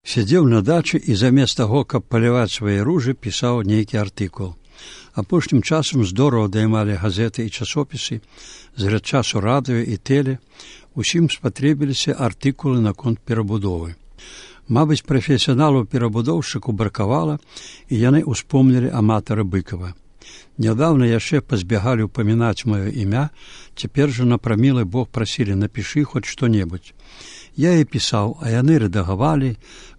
Сядзеў на дачы і замест таго, каб паліваць свае ружы, пісаў нейкі артыкул. Апошнім часам здорава даймалі газеты і часопісы, з часу радыё і тэле, усім спатрэбіліся артыкулы наконт перабудовы. Мабыць, прафесіяналаў-перабудоўшчыку бракавала, і яны ўспомнілі аматара Быкава. Нядаўна яшчэ пазбягалі ўпамінаць маё імя, цяпер жа на прамілы Бог прасілі: напішы хоць што-небудзь. Я і пісаў, а яны рэдагавалі,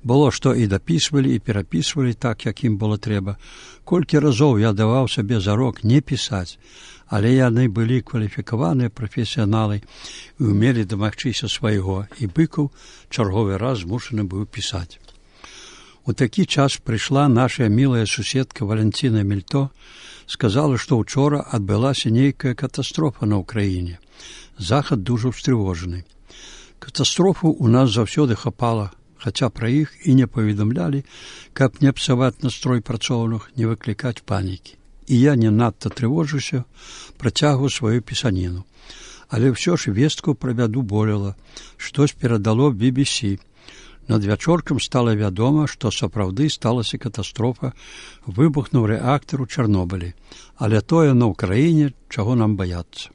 было што і дапісвалі, і перапісвалі так, як ім было трэба. Колькі разоў я даваў сабе зарок не пісаць, але яны былі кваліфікаваныя прафесіяналы і ўмелі дамагчыся свайго, і Быкаў чарговы раз змушаны быў пісаць. У такі час прыйшла наша мілая суседка Валянціна Мільто, сказала, што ўчора адбылася нейкая катастрофа на ўкраіне. Захад дужа ўстрывожаны. Катастрофу ў нас заўсёды хапала, хаця пра іх і не паведамлялі, каб не псаваць настрой працоўных, не выклікаць панікі. І я не надта трывожуся, працягваю сваю пісаніну. Але ўсё ж вестку пра бяду болела, штось перадало BBC. Надвячоркам стала вядома, што сапраўды сталася катастрофа, выбухнуў рэактар у Чарнобылі. Але тое на ўкраіне, чаго нам баяцца.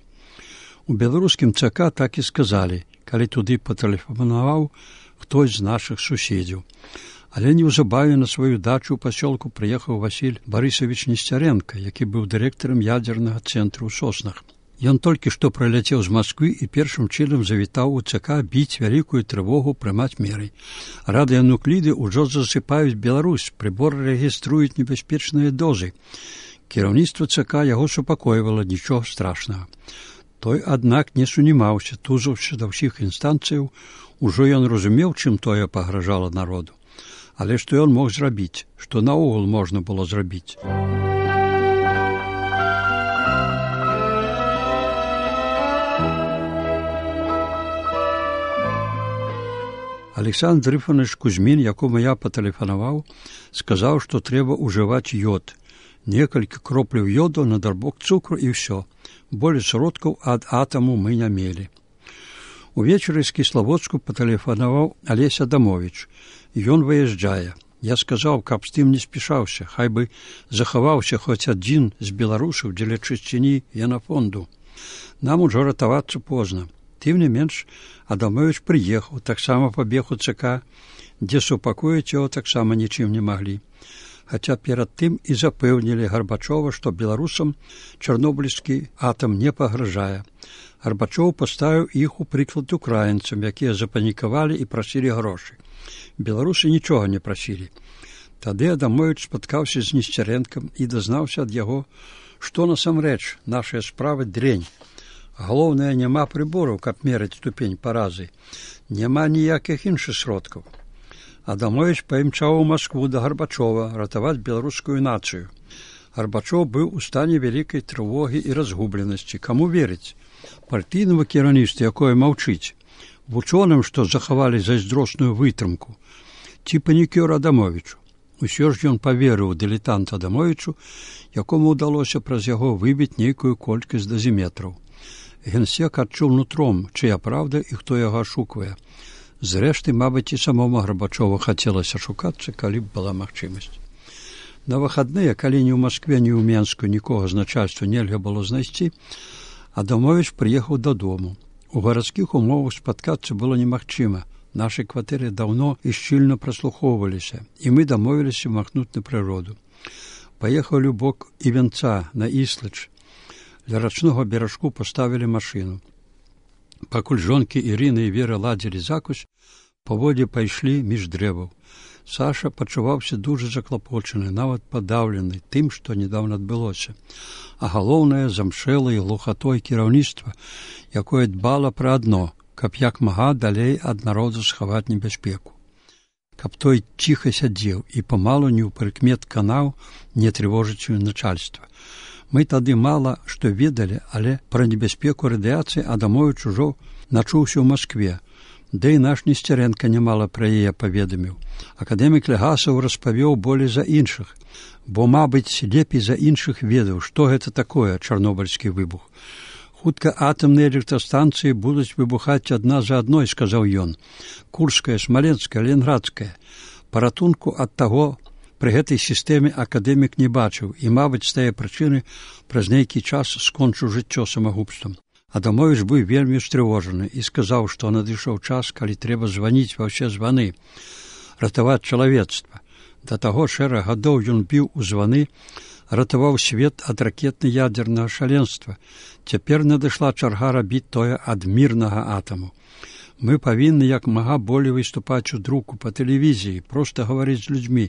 У беларускім ЦК так і сказалі, калі туды патэлефанаваў хтось з нашых суседзяў. Але неўзабаве на сваю дачу ў пасёлку прыехаў Васіль Барысавіч Несцярэнка, які быў дырэктарам ядзернага цэнтру ў Соснах. Ён толькі што прыляцеў з Масквы і першым чынам завітаў у ЦК біць вялікую трывогу, прымаць меры. Радыянукліды ўжо засыпаюць Беларусь, прыборы рэгіструюць небяспечныя дозы. Кіраўніцтва ЦК яго супакойвала, нічога страшнага. Той, аднак, не сунімаўся, тузаўся да ўсіх інстанцыяў, ужо ён разумеў, чым тое пагражала народу. Але што ён мог зрабіць, што наогул можна было зрабіць? Александр Ифанович Кузьмін, якому я патэлефанаваў, сказаў, што трэба ўжываць ёд. Некалькі кропляў ёду на дарбок цукру і ўсё. Болей сродкаў ад атаму мы не мелі. Увечары з Кіславодску патэлефанаваў Алесь Адамовіч. Ён выязджае. Я сказаў, каб з тым не спішаўся, хай бы захаваўся хоць адзін з беларусаў дзеля чысціні генафонду. Нам ужо ратавацца позна. Тым не менш, Адамовіч прыехаў, таксама пабег у ЦК, дзе супакоіць яго таксама нічым не маглі. Хаця перад тым і запэўнілі Гарбачова, што беларусам чарнобыльскі атам не пагражае. Гарбачоў паставіў іх у прыклад украінцам, якія запанікавалі і прасілі грошы. Беларусы нічога не прасілі. Тады Адамовіч спаткаўся з Несцярэнкам і дазнаўся ад яго, што насамрэч нашая справа дрэнь. Галоўнае, няма прыбораў, каб мераць ступень паразы. Няма ніякіх іншых сродкаў. Адамовіч паімчаў у Маскву да Гарбачова ратаваць беларускую нацыю. Гарбачоў быў у стане вялікай трывогі і разгубленасці. Каму верыць? Партыйнаму кіраўніцтву, якое маўчыць? Вучоным, што захавалі зайздросную вытрымку? Ці панікёр Адамовічу? Усё ж ён паверыў дылетант Адамовічу, якому ўдалося праз яго выбіць нейкую колькасць дазіметраў. Генсек адчуў нутром, чыя праўда і хто яго ашуквае. Зрэшты, мабыць, і самому Гарбачову хацелася шукацца, калі б была магчымасць. На выхадныя, калі ні ў Маскве, ні ў Менску нікога з начальства нельга было знайсці, Адамовіч прыехаў дадому. У гарадскіх умовах спаткацца было немагчыма. Нашы кватэры даўно і шчыльна праслухоўваліся, і мы дамовіліся махнуць на прыроду. Паехалі ў бок Івенца, на Іслач. Для рачнога беражку паставілі машыну. Пакуль жонкі Ірына і Вера ладзілі закусь, паводзе пайшлі між дрэваў. Саша пачуваўся дужа заклапочаны, нават падаўлены тым, што недаўна адбылося. А галоўнае, замшэлай глухатой кіраўніцтва, якое дбала пра адно, каб як мага далей ад народу схаваць небяспеку. Каб той ціха сядзеў і памалу не ў прыкмет канаў не трывожыць начальства. Мы тады мала што ведалі, але пра небяспеку радыяцыі Адамовіч ужо начуўся ў Маскве. Да і наш Несцярэнка нямала пра яе паведаміў. Акадэмік Легасаў распавёў болей за іншых, бо, мабыць, лепей за іншых ведаў, што гэта такое чарнобыльскі выбух. Хутка атамныя электрастанцыі будуць выбухаць адна за адной, сказаў ён. Курская, Смаленская, Ленградская. Паратунку ад таго пры гэтай сістэме акадэмік не бачыў і, мабыць, з тае прычыны праз нейкі час скончыў жыццё самагубствам. Адамовіч быў вельмі стрывожаны і сказаў, што надышоў час, калі трэба званіць ва ўсе званы, ратаваць чалавецтва. Да таго шэраг гадоў ён біў у званы, ратаваў свет ад ракетна-ядзернага шаленства. Цяпер надышла чарга рабіць тое ад мірнага атаму. Мы павінны як мага болей выступаць у друку, па тэлевізіі, проста гаварыць з людзьмі,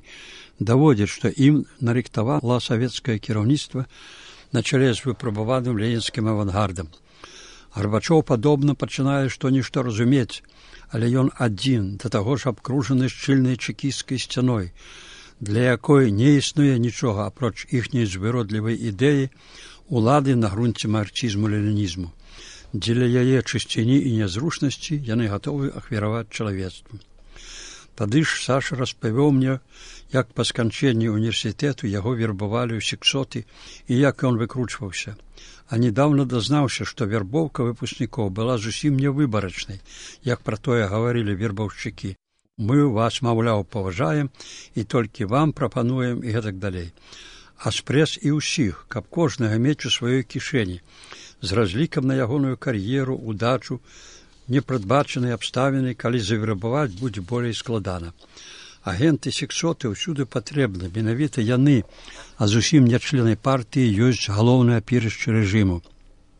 даводзіць, што ім нарыхтавала савецкае кіраўніцтва на чале з выпрабаваным ленінскім авангардам. Гарбачоў, падобна, пачынае што-нішто разумець, але ён адзін, да таго ж абкружаны шчыльнай чэкісцкай сцяной, для якой не існуе нічога, апроч іхняй звыродлівай ідэі улады на грунце марксізму-ленінізму. Дзеля яе чысціні і нязручнасці яны гатовы ахвяраваць чалавецтву. Тады ж Саша распавёў мне, як па сканчэнні універсітэту яго вербавалі ў сексоты і як ён выкручваўся. А недавно дазнаўся, што вербоўка выпускнікоў была зусім невыбарачнай, як пра тое гаварылі вербаўшчыкі. Мы вас, маўляў, паважаем і толькі вам прапануем і гэтак далей. А спрэс і ўсіх, каб кожнага мець у сваёй кішэні, з разлікам на ягоную кар'еру, удачу, непрадбачаныя абставіны, калі завербаваць будзе болей складана. Агенты сексоты ўсюды патрэбны, менавіта яны, а зусім не члены партыі, ёсць галоўнае апірышча рэжыму.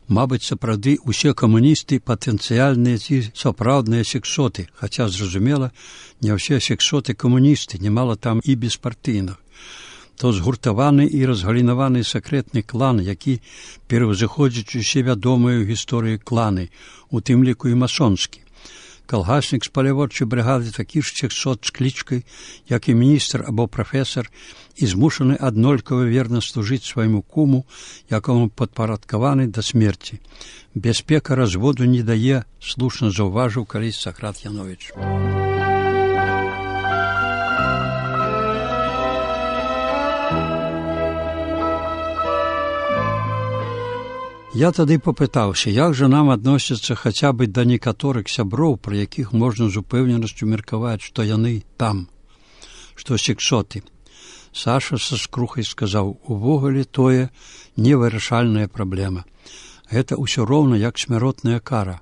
Мабыць, сапраўды ўсе камуністы патэнцыяльныя ці сапраўдныя сексоты, хаця, зразумела, не ўсе сексоты камуністы, немало там і беспартыйных. То згуртаваны і разгалінаваны сакрэтны клан, які пераўзыходзіць усе вядомыя ў гісторыі кланы, у тым ліку і масонскі. Калгаснік з паляводчай брыгады такі ж сексот з клічкай, як і міністр або прафесар, і змушаны аднолькава верна служыць свайму куму, якому падпарадкаваны да смерці. Бяспека разводу не дае, слушна заўважыў калісь Сакрат Яновіч. Я тады папытаўся, як жа нам адносяцца хаця бы да некаторых сяброў, пра якіх можна з упэўненасцю меркаваць, што яны там, што сексоты. Саша са скрухай сказаў, увогуле тое невырашальная праблема. Гэта ўсё роўна як смяротная кара.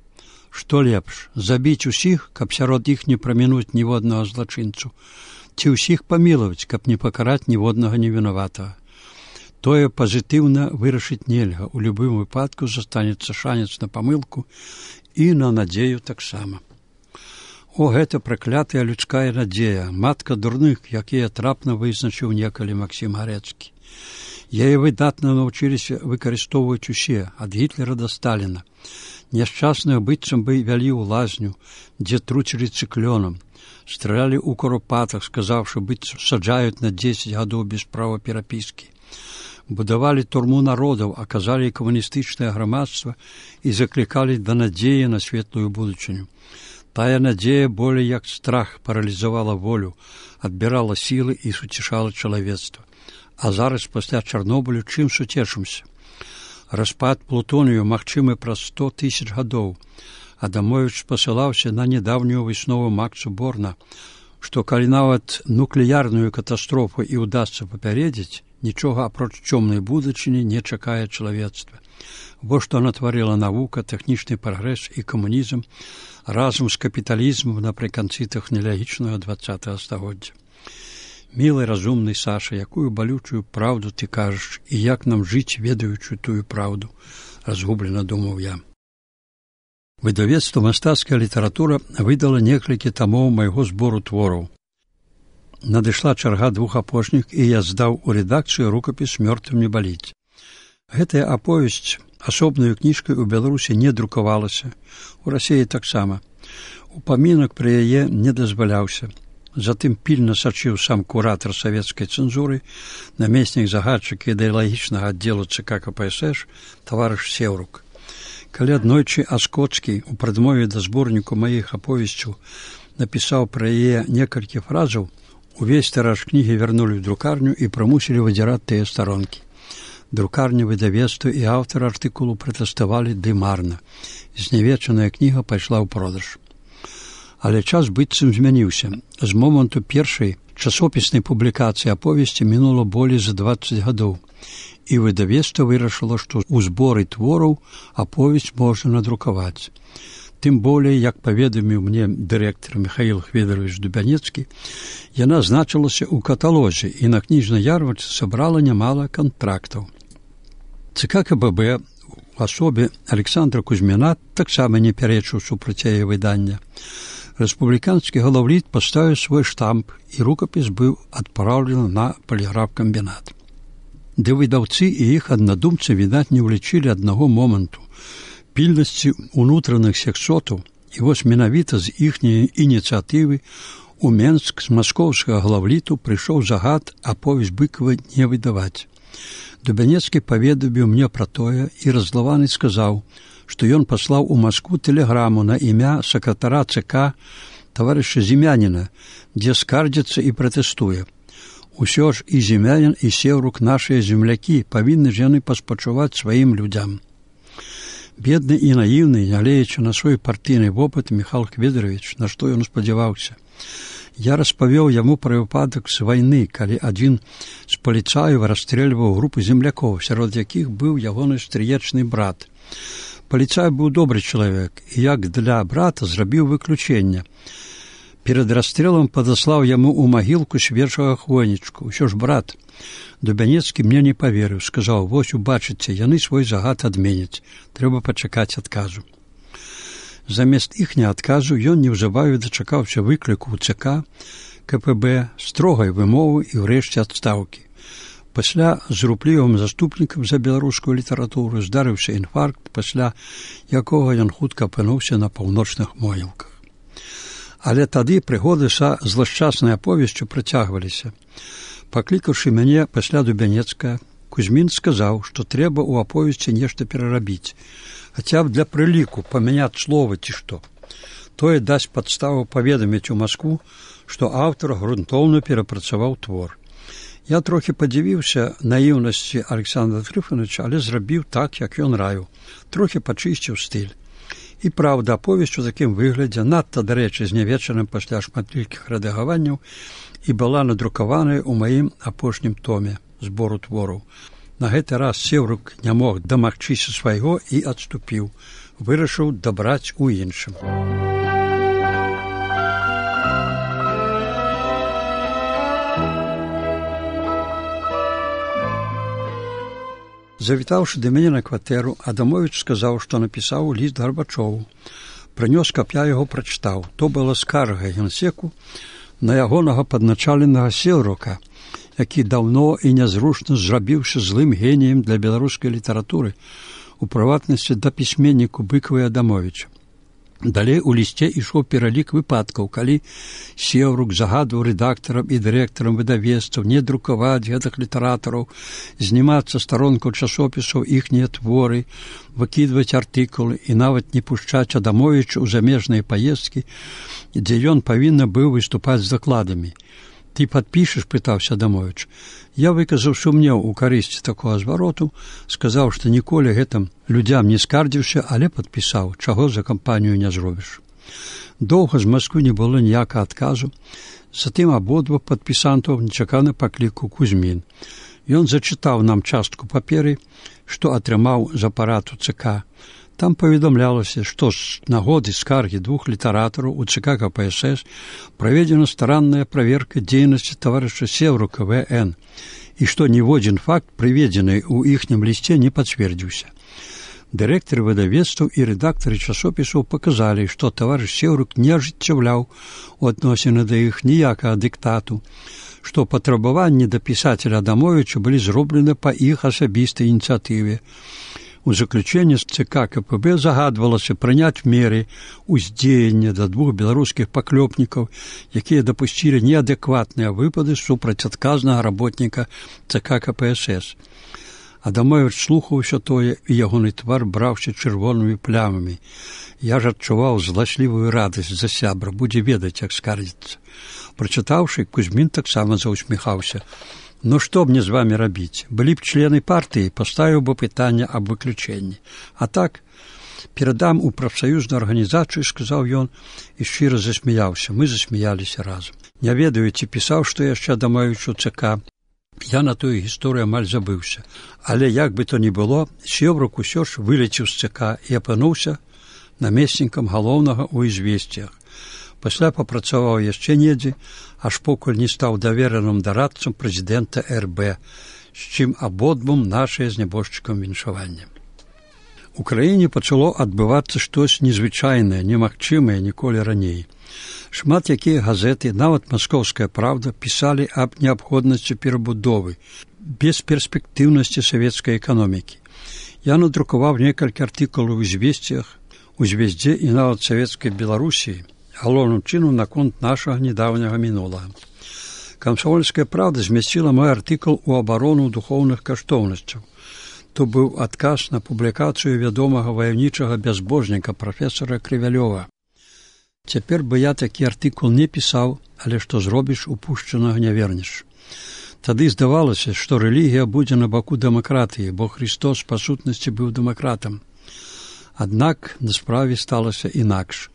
Што лепш, забіць усіх, каб сярод іх не прамінуць ніводнага злачынцу, ці ўсіх памілаваць, каб не пакараць ніводнага невінаватага. Тое пазітыўна вырашыць нельга, у любым выпадку застанецца шанец на памылку і на надзею таксама. О, гэта праклятая людская надзея, матка дурных, якія трапна вызначыў некалі Максім Гарэцкі. Яе выдатна навучыліся выкарыстоўваць усе, ад Гітлера да Сталіна. Няшчасных быццам бы вялі ў лазню, дзе труцілі цыклёнам, стралялі ў куропатах, сказаўшы, быццам саджаюць на 10 гадоў без права перапіскі. Будавалі турму народаў, аказалі камуністычнае грамадства і заклікалі да надзеі на светлую будучыню. Тая надзея болей як страх паралізавала волю, адбірала сілы і суцішала чалавецтва. А зараз пасля Чарнобылю чым суцешымся? Распад плутонію магчымы праз 100 000 гадоў. Адамовіч спасылаўся на нядаўнюю выснову Макса Борна, што калі нават нуклеярную катастрофу і ўдасца папярэдзіць, нічога апроч цёмнай будучыні не чакае чалавецтва. Во што натварыла навука, тэхнічны прагрэс і камунізм разам з капіталізмам напрыканцы тэхналагічнага 20-го стагоддзя. Мілы, разумны Саша, якую балючую праўду ты кажаш і як нам жыць, ведаючы тую праўду, разгублена думаў я. Выдавецтва «Мастацкая літаратура» выдала некалькі тамоў майго збору твораў. Надышла чарга 2 апошніх, і я здаў у рэдакцыю рукапіс «Мёртвым не баліць». Гэтая аповесць асобнаю кніжкай у Беларусі не друкавалася, у Расіі таксама. Упамінак пра яе не дазваляўся. Затым пільна сачыў сам куратар савецкай цэнзуры, намеснік загадчыка ідэалагічнага аддзелу ЦК КПСС, таварыш Сеўрук. Калі аднойчы Аскоцкі у прадмове да зборніку маіх аповесцяў напісаў пра яе некалькі фразаў, увесь тыраж кнігі вярнулі ў друкарню і прымусілі выдзіраць тыя старонкі. Друкарня, выдавецтва і аўтар артыкулу пратэставалі ды марна. Знявечаная кніга пайшла ў продаж. Але час быццам змяніўся. З моманту першай часопіснай публікацыі аповесці мінула болей за 20 гадоў, і выдавецтва вырашыла, што ў зборы твораў аповесць можна надрукаваць. Тым болей, як паведаміў мне дырэктар Михаил Хведорович Дубянецкі, яна значылася ў каталозе і на кніжнай ярмарцы сабрала нямала кантрактаў. ЦК КПБ у асобе Александра Кузьміна таксама не пярэчыў супраць яе выдання. Рэспубліканскі галаўліт паставіў свой штамп, і рукапіс быў адпраўлены на паліграф-камбінат. Ды выдаўцы і іх аднадумцы, відаць, не ўлічылі аднаго моманту пільнасці ўнутраных сексотаў, і вось менавіта з іхняй ініцыятывы у Менск з маскоўскага главліту прыйшоў загад аповесць Быкова не выдаваць. Дубянецкі паведаміў мне пра тое і раззлаваны сказаў, што ён паслаў у Маскву тэлеграму на імя сакратара ЦК таварыша Зімяніна, дзе скардзіцца і пратэстуе. Усё ж і Зімянін, і Сеўрук нашыя землякі, павінны ж яны паспачуваць сваім людзям. Бедны і наіўны, нягледзячы на свой партыйны вопыт, Михаил Хведорович, на што ён спадзяваўся. Я распавёў яму пра выпадак з вайны, калі адзін з паліцаяў расстрэльваў групу землякоў, сярод якіх быў ягоны стрыечны брат. Паліцай быў добры чалавек, і як для брата зрабіў выключэнне. Перад расстрэлам падаслаў яму ў магілку свежага хвойнічку. Усё ж брат. Дубянецкі мне не паверыў, сказаў: вось убачыце, яны свой загад адменяць, трэба пачакаць адказу. Замест іхняга адказу ён неўзабаве дачакаўся выкліку ў ЦК КПБ, строгай вымовы і ўрэшце адстаўкі. Пасля з руплівым заступнікам за беларускую літаратуру здарыўся інфаркт, пасля якога ён хутка апынуўся на паўночных могілках. Але тады прыгоды са злашчаснай аповесцю працягваліся. Паклікаўшы мяне пасля Дубянецкага, Кузьмін сказаў, што трэба ў аповесці нешта перарабіць, хаця б для прыліку памяняць словы ці што. Тое дасць падставу паведаміць у Маскву, што аўтар грунтоўна перапрацаваў твор. Я трохі падзівіўся наіўнасці Александра Трыфановича, але зрабіў так, як ён раіў, трохі пачысціў стыль. І праўда, аповесць у такім выглядзе, надта, дарэчы, знявечаным пасля шматлікіх рэдагаванняў, і была надрукаваная ў маім апошнім томе збору твораў. На гэты раз Сеўрук не мог дамагчыся свайго і адступіў, вырашыў дабраць у іншым. Завітаўшы да мяне на кватэру, Адамовіч сказаў, што напісаў ліст Гарбачову. Прынёс, каб я яго прачытаў. То была скарга генсеку на ягонага падначаленага Сеўрука, які даўно і нязручна зрабіўся злым геніем для беларускай літаратуры, у прыватнасці да пісьменніку Быкова і Адамовіча. Далей у лісце ішоў пералік выпадкаў, калі Сеўрук загадваў рэдактарам і дырэктарам выдавецтваў не друкаваць гэтых літаратараў, знімацца старонкаў часопісаў іхнія творы, выкідваць артыкулы і нават не пушчаць Адамовіча ў замежныя паездкі, дзе ён павінен быў выступаць з дакладамі. «Ты падпішаш?» – пытаўся Адамовіч. Я выказаў сумнеў у карысці такога звароту, сказаў, што ніколі гэтым людзям не скардзіўся, але падпісаў, чаго за кампанію не зробіш. Доўга з Масквы не было ніякага адказу, затым абодва падпісантаў нечакана паклікаў Кузьмін. Ён зачытаў нам частку паперы, што атрымаў з апарату ЦК. Там паведамлялася, што з нагоды скаргі двух літаратараў у ЦК КПСС праведзена старанная праверка дзейнасці таварыша Сеўрука В.Н. і што ніводзін факт, прыведзены ў іхнім лісце, не пацвердзіўся. Дырэктары выдавецтваў і рэдактары часопісаў паказалі, што таварыш Сеўрук не ажыццяўляў у адносіны да іх ніякага дыктату, што патрабаванні да пісацеля Адамовіча былі зроблены па іх асабістай ініцыятыве. У заключэнні з ЦК КПБ загадвалася прыняць меры ўздзеяння да двух беларускіх паклёпнікаў, якія дапусцілі неадэкватныя выпады супраць адказнага работніка ЦК КПСС. Адамовіч слухаў усё тое, і ягоны твар браўся чырвонымі плямамі. Я ж адчуваў зласлівую радасць за сябра, будзе ведаць, як скардзіцца. Прачытаўшы, Кузьмін таксама заўсміхаўся. «Ну што мне з вамі рабіць? Былі б члены партыі, паставіў бы пытанне аб выключэнні. А так, Перадам у прафсаюзную арганізацыю, сказаў ён і шчыра засмяяўся. Мы засмяяліся разам. Не ведаю, ці пісаў, што яшчэ Адамовіч у ЦК. Я на тую гісторыю амаль забыўся. Але як бы то ні было, Севрук усё ж вылецеў з ЦК і апынуўся намеснікам галоўнага ў «Ізвесціях». Пасля папрацаваў яшчэ недзе, аж покуль не стаў давераным дарадцам прэзідэнта РБ, з чым абодвум нашае з нябожчыкам віншаванне. У краіне пачало адбывацца штось незвычайнае, немагчымае ніколі раней. Шмат якія газеты, нават «Маскоўская правда», пісалі аб неабходнасці перабудовы, бесперспектыўнасці савецкай эканомікі. Я надрукаваў некалькі артыкулаў у «Ізвесціях», у «Звездзе» і нават савецкай Беларусі, галоўным чынам наконт нашага недаўняга мінулага. «Камсомольская правда» змясціла мой артыкул у абарону духоўных каштоўнасцяў. То быў адказ на публікацыю вядомага ваяўнічага бязбожніка прафесара Крывялёва. Цяпер бы я такі артыкул не пісаў, але што зробіш, упушчанага не вернеш. Тады здавалася, што рэлігія будзе на баку дэмакратыі, бо Христос па сутнасці быў дэмакратам. Аднак на справе сталася інакш.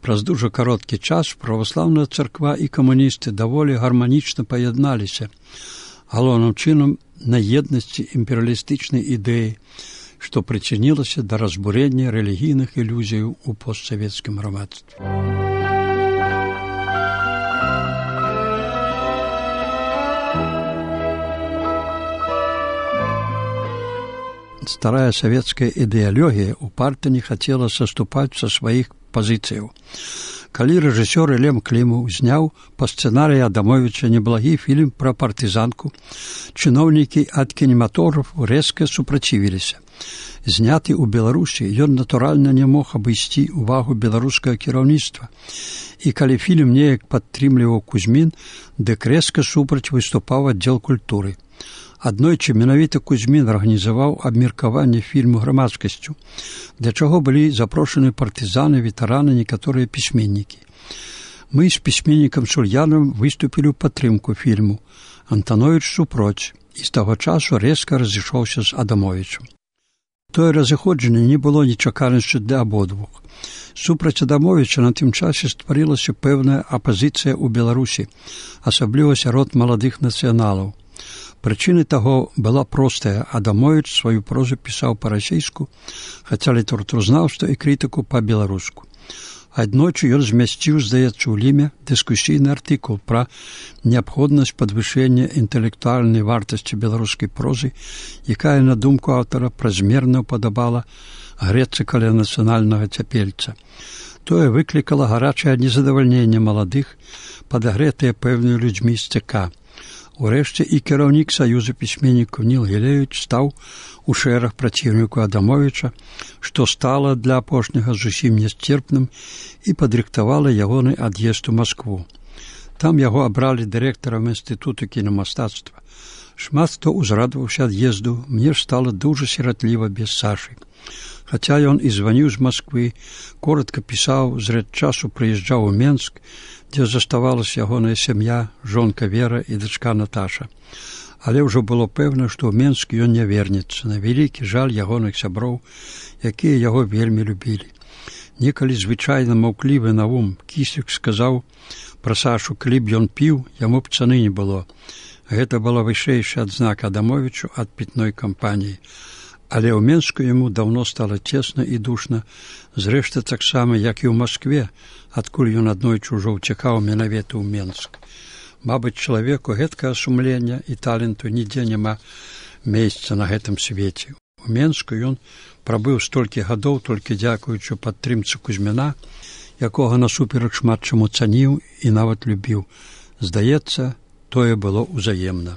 Праз дужа кароткі час праваслаўная царква і камуністы даволі гарманічна паядналіся, галоўным чынам на еднасці імперыялістычнай ідэі, што прычынілася да разбурення рэлігійных ілюзіяў у постсавецкім грамадстве. Старая савецкая ідэалогія упарта не хацела саступаць са сваіх пазіцыяў. Калі рэжысёр Лем Клімаў зняў па сцэнарыі Адамовіча неблагі фільм пра партызанку, чыноўнікі ад кінематографу рэзка супрацівіліся. Зняты ў Беларусі, ён натуральна не мог абысці увагу беларускага кіраўніцтва. І калі фільм неяк падтрымліваў Кузьмін, дык рэзка супраць выступаў аддзел культуры. Аднойчы менавіта Кузьмін арганізаваў абмеркаванне фільму грамадскасцю, для чаго былі запрошаны партызаны, ветэраны, некаторыя пісьменнікі. Мы з пісьменнікам Сульянам выступілі ў падтрымку фільму, Антановіч супроць, і з таго часу рэзка разышоўся з Адамовічам. Тое разыходжанне не было нечаканасцю для абодвух. Супраць Адамовіча на тым часе стварылася пэўная апазіцыя ў Беларусі, асабліва сярод маладых нацыяналаў. Прычыны таго была простая. Адамовіч сваю прозу пісаў па-расейску, хаця літаратуразнаўства і крытыку па-беларуску. Аднойчы ён змясціў, здаецца, у Ліме дыскусійны артыкул пра неабходнасць падвышэння інтэлектуальнай вартасці беларускай прозы, якая, на думку аўтара, празмерна ўпадабала грэцца каля нацыянальнага цяпельца. Тое выклікала гарачае незадавальненне маладых, падагрэтыя пэўнымі людзьмі з ЦК. Урэшце і кіраўнік Саюза пісьменнікаў Ніл Гілевіч стаў у шэраг праціўніку Адамовіча, што стала для апошняга зусім нясцерпным і падрыхтавала ягоны ад'езд у Маскву. Там яго абралі дырэктарам інстытуту кінамастацтва. Шмат хто узрадаваўся ад'езду, мне ж стала дужа сіратліва без Сашы. Хаця ён і званіў з Масквы, коратка пісаў, зрэд часу прыязджаў у Менск, дзе заставалася ягоная сям'я, жонка Вера і дачка Наташа. Але ўжо было пэўна, што ў Менск ён не вернецца, на вялікі жаль ягоных сяброў, якія яго вельмі любілі. Некалі звычайна маўклівы Наум Кісік сказаў пра Сашу, калі б ён піў, яму б цаны не было. Гэта была вышэйшая адзнака Адамовічу ад пітной кампаніі. Але ў Менску яму даўно стала цесна і душна, зрэшты таксама, як і ў Маскве, адкуль ён аднойчы ўжо ўцякаў менавіта ў Менск. Мабыць, чалавеку гэткага сумлення і таленту нідзе няма месца на гэтым свеце. У Менску ён прабыў столькі гадоў толькі дзякуючы падтрымцы Кузьміна, якога насуперак шмат чаму цаніў і нават любіў. Здаецца, тое было ўзаемна.